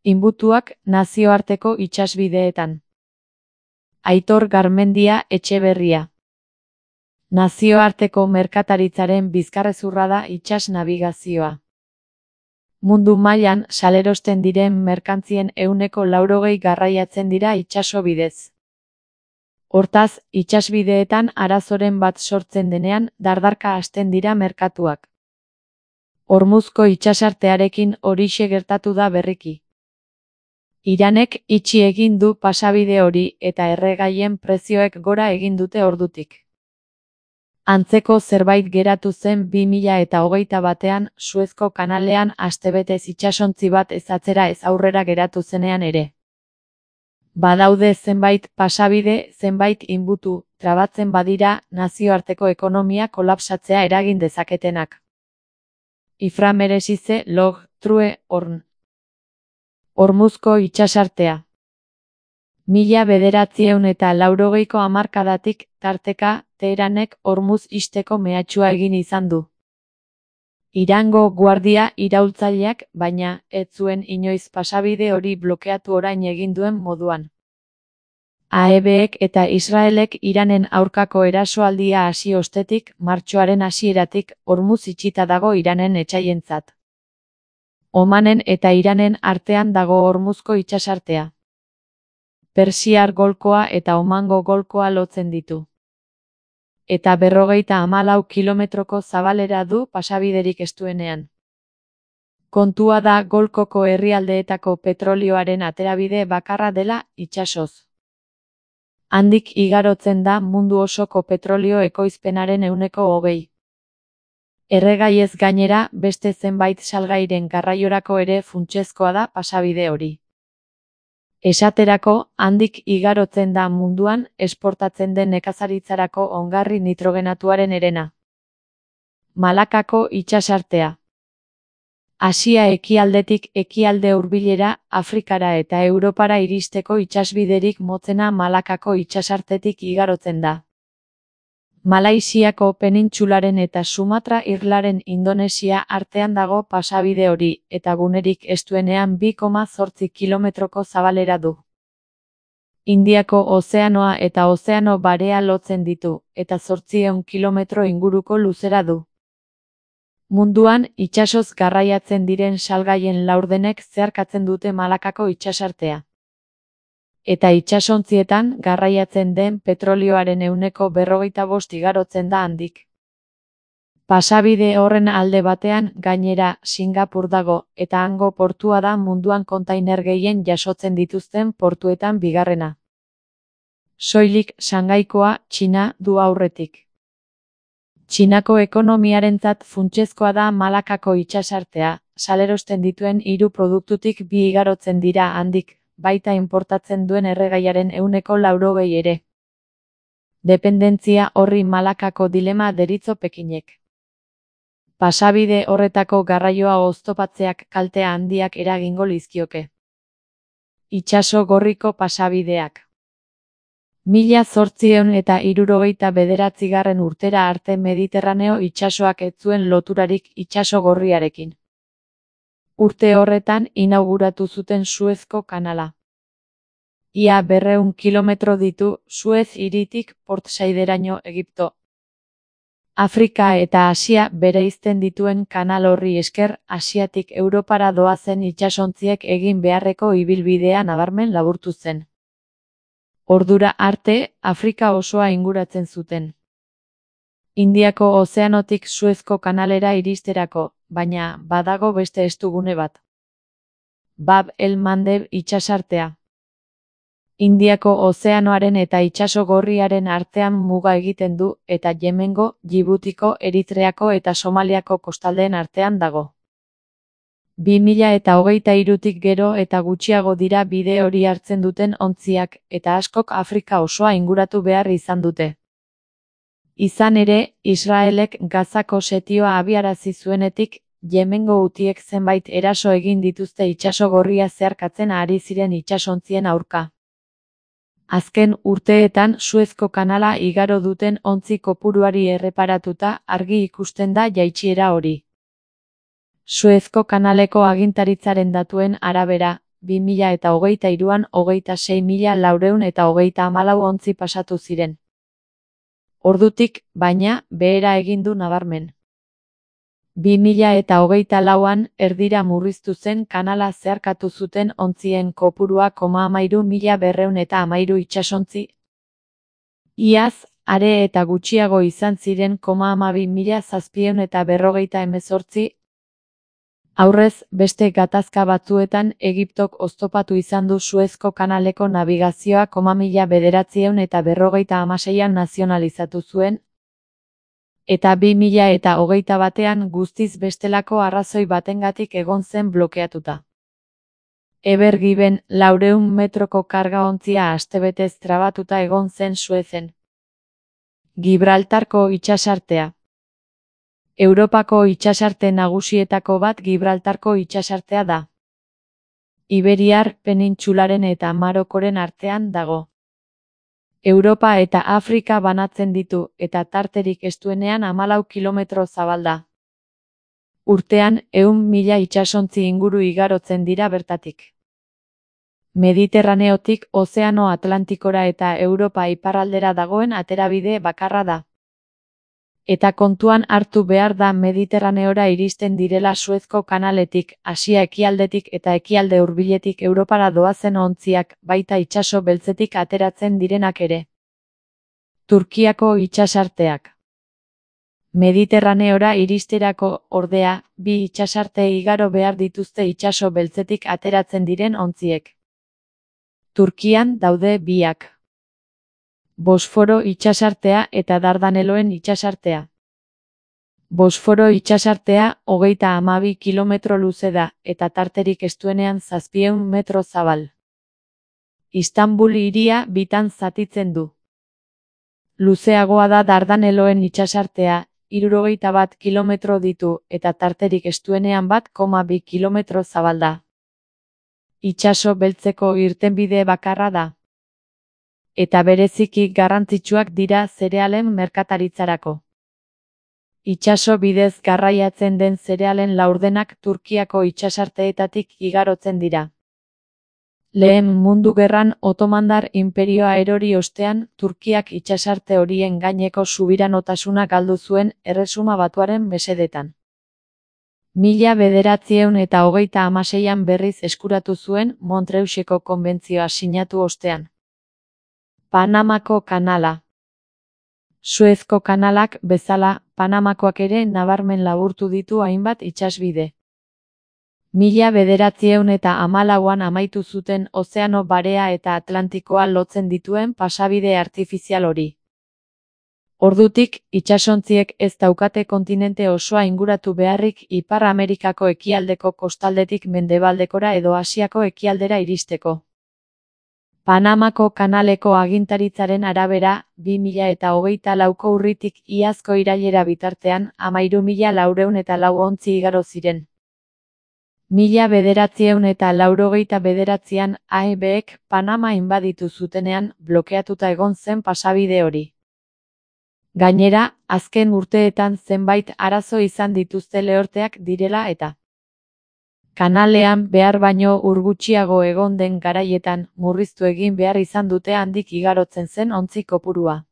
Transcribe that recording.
Inbutuak nazioarteko itsasbideetan. Aitor Garmendia Etxeberria. Nazioarteko merkataritzaren bizkarrezurra da itsas nabigazioa. Mundu mailan salerosten diren merkantzien 80% garraiatzen dira itsaso bidez. Hortaz, itsasbideetan arazoren bat sortzen denean dardarka hasten dira merkatuak. Hormuzko itsasartearekin horixe gertatu da berriki. Iranek itxi egin du pasabide hori eta erregaien prezioek gora egin dute ordutik. Antzeko zerbait geratu zen 2021ean Suezko kanalean astebetez itsasontzi bat ez atzera ez aurrera geratu zenean ere. Badaude zenbait pasabide, zenbait inbutu, trabatzen badira nazioarteko ekonomia kolapsatzea eragin dezaketenak. Ifra meresize log, true, horn. Hormuzko itsasartea. 1980ko hamarkadatik, tarteka, Teheranek Hormuz ixteko mehatxua egin izan du. Irango guardia iraultzaileak, baina, ez zuen inoiz pasabide hori blokeatu orain egin duen moduan. AEBek eta Israelek Iranen aurkako erasoaldia hasi ostetik, martxoaren hasieratik, Hormuz itxita dago Iranen etsaientzat. Omanen eta Iranen artean dago Hormuzko itsasartea. Persiar golkoa eta Omango golkoa lotzen ditu. Eta 54 kilometroko zabalera du pasabiderik estuenean. Kontua da golkoko herrialdeetako petrolioaren aterabide bakarra dela itsasoz. Handik igarotzen da mundu osoko petrolio ekoizpenaren 20%. Erregaiez gainera, beste zenbait salgairen garraiorako ere funtsezkoa da pasabide hori. Esaterako, handik igarotzen da munduan esportatzen den nekazaritzarako ongarri nitrogenatuaren herena. Malakako itsasartea. Asia ekialdetik ekialde hurbilera, Afrikara eta Europara iristeko itsasbiderik motzena Malakako itsasartetik igarotzen da. Malaisiako penintsularen eta Sumatra irlaren Indonesia artean dago pasabide hori, eta gunerik estuenean 2,8 kilometroko zabalera du. Indiako ozeanoa eta Ozeano Barea lotzen ditu, eta 800 kilometro inguruko luzera du. Munduan, itsasoz garraiatzen diren salgaien laurdenek zeharkatzen dute Malakako itsasartea. Eta itsasontzietan garraiatzen den petrolioaren 45% igarotzen da handik. Pasabide horren alde batean, gainera, Singapur dago, eta hango portua da munduan kontainer gehien jasotzen dituzten portuetan bigarrena. Soilik Shangaikoa, Txina, du aurretik. Txinako ekonomiarentzat funtsezkoa da Malakako itsasartea, salerosten dituen 3 produktutik 2 igarotzen dira handik, baita inportatzen duen erregaiaren 80% ere. Dependentzia horri Malakako dilema deritzo Pekinek. Pasabide horretako garraioa oztopatzeak kaltea handiak eragingo lizkioke. Itsaso gorriko pasabideak. 1869 urtera arte Mediterraneo itsasoak ez zuen loturarik itsaso gorriarekin. Urte horretan inauguratu zuten Suezko kanala. Ia 200 kilometro ditu Suez hiritik Port Saideraino Egipto. Afrika eta Asia bereizten dituen kanal horri esker Asiatik Europara doazen itsasontziek egin beharreko ibilbidea nabarmen laburtu zen. Ordura arte, Afrika osoa inguratzen zuten. Indiako ozeanotik Suezko kanalera iristerako, baina badago beste estugune bat. Bab el-Mandeb itsasartea. Indiako ozeanoaren eta itsaso gorriaren artean muga egiten du eta Yemengo, Djibutiko, Eritreako eta Somaliako kostaldeen artean dago. 2023tik gero eta gutxiago dira bide hori hartzen duten ontziak, eta askok Afrika osoa inguratu behar izan dute. Izan ere, Israelek Gazako setioa abiarazi zuenetik, Yemengo hutiek zenbait eraso egin dituzte itsaso gorria zeharkatzen ari ziren itsasontzien aurka. Azken urteetan Suezko kanala igaro duten ontzi kopuruari erreparatuta argi ikusten da jaitsiera hori. Suezko kanaleko agintaritzaren datuen arabera, 2023an 26.434 ontzi pasatu ziren. Ordutik, baina, behera egin du nabarmen. 2024an erdira murriztu zen kanala zeharkatu zuten ontzien kopurua 13.213 itsasontzi. Iaz, are eta gutxiago izan ziren 12.748. Aurrez, beste gatazka batzuetan Egiptok oztopatu izan du Suezko kanaleko nabigazioa 1956an nazionalizatu zuen, eta 2021an guztiz bestelako arrazoi batengatik egon zen blokeatuta. Ever Given 400 metroko karga-ontzia astebetez trabatuta egon zen Suezen. Gibraltarko itsasartea. Europako itsasarte nagusietako bat Gibraltarko itsasartea da. Iberiar penintsularen eta Marokoren artean dago. Europa eta Afrika banatzen ditu, eta tarterik estuenean 14 kilometro zabalda. Urtean, 100.000 itsasontzi inguru igarotzen dira bertatik. Mediterraneotik Ozeano Atlantikora eta Europa iparraldera dagoen aterabide bakarra da. Eta kontuan hartu behar da Mediterraneora iristen direla Suezko kanaletik, Asia ekialdetik eta ekialde hurbiletik Europara doazen ontziak, baita itsaso beltzetik ateratzen direnak ere. Turkiako itsasarteak. Mediterraneora iristerako, ordea, bi itsasarte igaro behar dituzte itsaso beltzetik ateratzen diren ontziek. Turkian daude biak. Bosforo itsasartea eta Dardaneloen itsasartea. Bosforo itsasartea 32 kilometro luze da, eta tarterik estuenean 700 metro zabal. Istanbul hiria bitan zatitzen du. Luzeagoa da Dardaneloen itsasartea, 61 kilometro ditu, eta tarterik estuenean 1,2 kilometro zabalda. Itsaso beltzeko irtenbide bakarra da. Eta bereziki garrantzitsuak dira zerealen merkataritzarako. Itsaso bidez garraiatzen den zerealen laurdenak Turkiako itsasarteetatik igarotzen dira. Lehen Mundu Gerran Otomandar inperioa erori ostean, Turkiak itsasarte horien gaineko subiranotasuna galdu zuen Erresuma Batuaren mesedetan. 1936an berriz eskuratu zuen Montreuseko konbentzioa sinatu ostean. Panamako kanala. Suezko kanalak bezala, Panamakoak ere nabarmen laburtu ditu hainbat itsasbide. 1914an amaitu zuten Ozeano Barea eta Atlantikoa lotzen dituen pasabide artifizial hori. Ordutik, itsasontziek ez daukate kontinente osoa inguratu beharrik Ipar Amerikako ekialdeko kostaldetik mendebaldekora edo Asiako ekialdera iristeko. Panamako kanaleko agintaritzaren arabera, 2024ko urritik iazko irailera bitartean 13.404 ontzi igaro ziren. 1989an AEBek Panama inbaditu zutenean blokeatuta egon zen pasabide hori. Gainera, azken urteetan zenbait arazo izan dituzte lehorteak direla eta kanalean behar baino ur gutxiago egon den garaietan murriztu egin behar izan dute handik igarotzen zen ontzi kopurua.